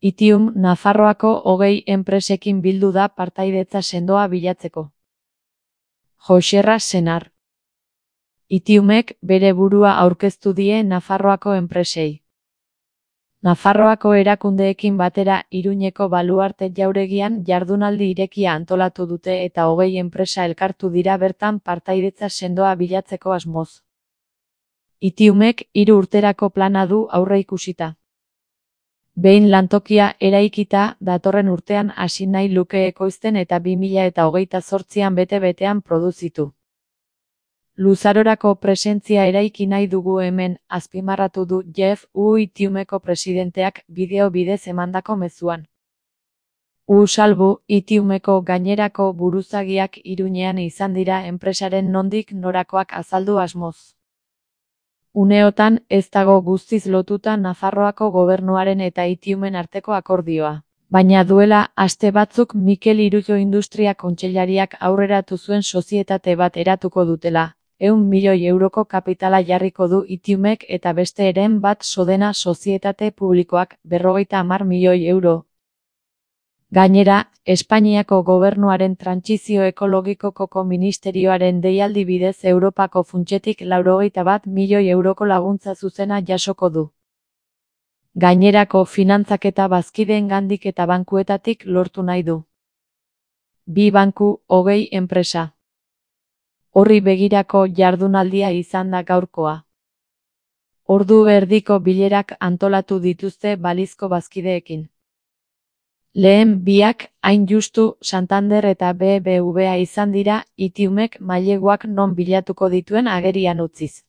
Itium Nafarroako 20 enpresekin bildu da partaidetza sendoa bilatzeko. Joxerra Senar. Itiumek bere burua aurkeztu die Nafarroako enpresei. Nafarroako erakundeekin batera Iruñeko Baluarte jauregian jardunaldi irekia antolatu dute eta 20 enpresa elkartu dira bertan partaidetza sendoa bilatzeko asmoz. Itiumek 3 urterako plana du aurreikusita. Behin lantokia eraikita, datorren urtean hasi nahi luke ekoizten eta 2028an bete-betean produzitu. Luzarorako presentzia eraiki nahi dugu hemen, azpimarratu du Jeff U. Itiumeko presidenteak bideo bidez emandako mezuan. Salbu, Itiumeko gainerako buruzagiak Iruñean izan dira enpresaren nondik norakoak azaldu asmoz. Uneotan ez dago guztiz lotuta Nafarroako gobernuaren eta Itiumen arteko akordioa. Baina duela aste batzuk Mikel Irujo Industria Kontseilariak aurreratu zuen sozietate bat eratuko dutela. 100 milioi euroko kapitala jarriko du Itiumek eta beste eren bat Sodena sozietate publikoak 50 milioi euro. Gainera, Espainiako gobernuaren trantsizio ekologikoko ministerioaren deialdi bidez Europako funtsetik 81 milioi euroko laguntza zuzena jasoko du. Gainerako finantzaketa bazkideengandik eta bankuetatik lortu nahi du. 2 banku, 20 enpresa. Horri begirako jardunaldia izan da gaurkoa. Ordu erdiko bilerak antolatu dituzte balizko bazkideekin. Lehen biak, hain justu, Santander eta BBVA izan dira, Itiumek maileguak non bilatuko dituen agerian utziz.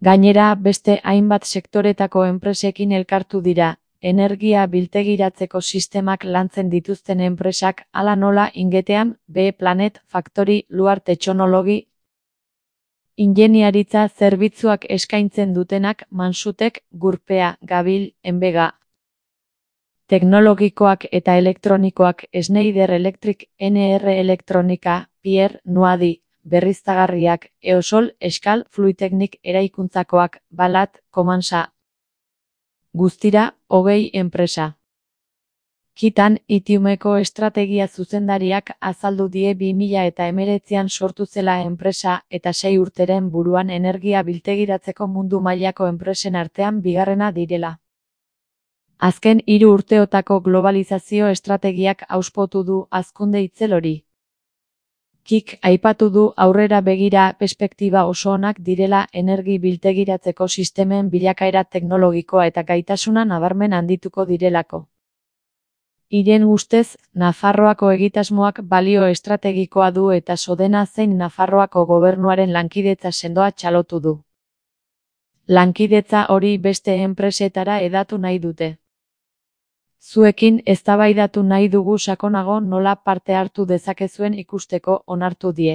Gainera, beste hainbat sektoretako enpresekin elkartu dira, energia biltegiratzeko sistemak lantzen dituzten enpresak, hala nola Ingeteam, B-Planet, Factory, Luar Technology, ingeniaritza zerbitzuak eskaintzen dutenak Mansutek, Gurpea, Gabil, Enbega, teknologikoak eta elektronikoak Schneider Electric, NR Elektronika, Pierre, Nuadi, berriztagarriak, Eosol, Eskal, Fluitecnik eraikuntzakoak, Balat, Komansa. Guztira, 20 enpresa. Kitan, Itiumeko estrategia zuzendariak azaldu die 2019an sortu zela enpresa eta 6 urteren buruan energia biltegiratzeko mundu mailako enpresen artean bigarrena direla. Azken 3 urteotako globalizazio estrategiak auspotu du hazkunde itzel hori. Kik aipatu du aurrera begira perspektiba oso onak direla energi biltegiratzeko sistemen bilakaera teknologikoa eta gaitasuna nabarmen handituko direlako. Hiren ustez, Nafarroako egitasmoak balio estrategikoa du eta Sodena zein Nafarroako gobernuaren lankidetza sendoa txalotu du. Lankidetza hori beste enpresetara hedatu nahi dute. Zuekin eztabaidatu nahi dugu sakonago nola parte hartu dezakezuen ikusteko onartu die.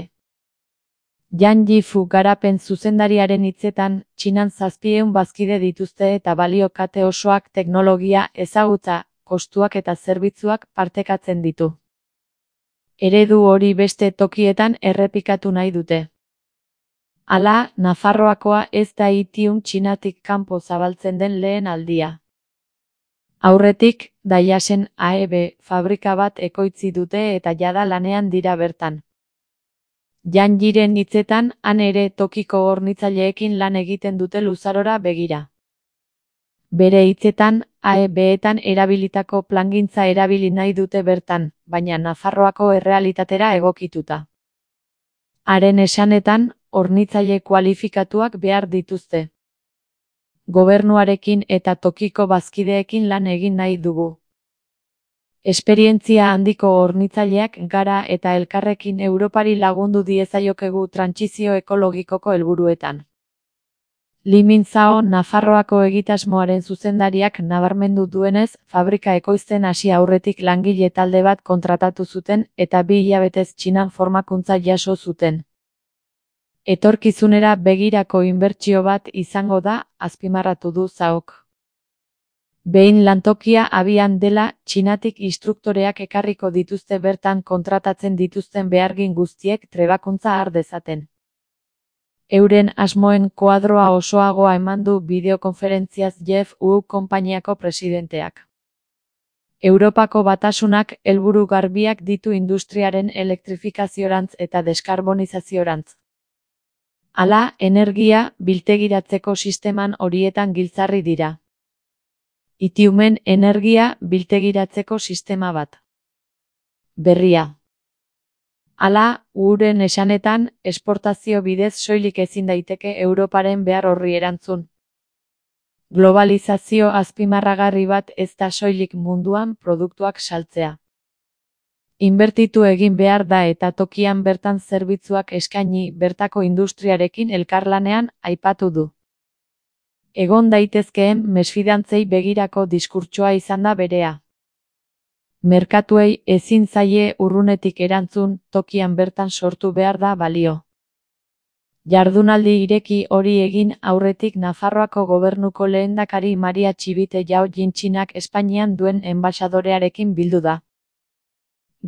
Yan Yifu garapen zuzendariaren hitzetan, Txinan 700 bazkide dituzte eta balio kate osoak teknologia, ezagutza, kostuak eta zerbitzuak partekatzen ditu. Eredu hori beste tokietan errepikatu nahi dute. Hala, Nafarroakoa ez da Itium Txinatik kanpo zabaltzen den lehen aldia. Aurretik, Daiasen AEB fabrika bat ekoitzi dute eta jada lanean dira bertan. Yan Yiren hitzetan, han ere tokiko hornitzaileekin lan egiten dute luzarora begira. Bere hitzetan, AEB-etan erabilitako plangintza erabili nahi dute bertan, baina Nafarroako errealitatera egokituta. Haren esanetan, hornitzaile kualifikatuak behar dituzte. Gobernuarekin eta tokiko bazkideekin lan egin nahi dugu. Esperientzia handiko hornitzaileak gara eta elkarrekin Europari lagundu diezaiokegu trantsizio ekologikoko helburuetan. Li Minzhao Nafarroako egitasmoaren zuzendariak nabarmendu duenez, fabrika ekoizten hasi aurretik langile talde bat kontratatu zuten eta 2 hilabetez Txinan formakuntza jaso zuten. Etorkizunera begirako inbertsio bat izango da, azpimarratu du Zhaok. Behin lantokia abian dela, Txinatik instruktoreak ekarriko dituzte bertan kontratatzen dituzten behargin guztiek trebakuntza har dezaten. Euren asmoen koadroa osoagoa eman du bideokonferentziaz Jeff U. konpainiako presidenteak. Europako Batasunak helburu garbiak ditu industriaren elektrifikaziorantz eta deskarbonizaziorantz. Hala, energia biltegiratzeko sisteman horietan giltzarri dira. Itiumen energia biltegiratzeko sistema bat. Berria. Hala, uren esanetan, esportazio bidez soilik ezin daiteke Europaren behar horri erantzun. Globalizazio azpimarragarri bat ez da soilik munduan produktuak saltzea. Inbertitu egin behar da eta tokian bertan zerbitzuak eskaini bertako industriarekin elkarlanean aipatu du. Egon daitezkeen mesfidantzei begirako diskurtsoa izan da berea. Merkatuei ezin zaie urrunetik erantzun, tokian bertan sortu behar da balio. Jardunaldi ireki hori egin aurretik Nafarroako gobernuko lehendakari Maria Txibite Jau Jintxinak Espainian duen enbaxadorearekin bildu da.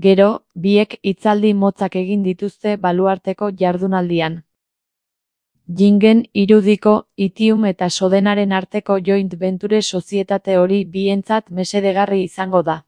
Gero, biek hitzaldi motzak egin dituzte baluarteko jardunaldian. Jingen irudiko, Itium eta Sodenaren arteko joint venture sozietate hori bientzat mesedegarri izango da.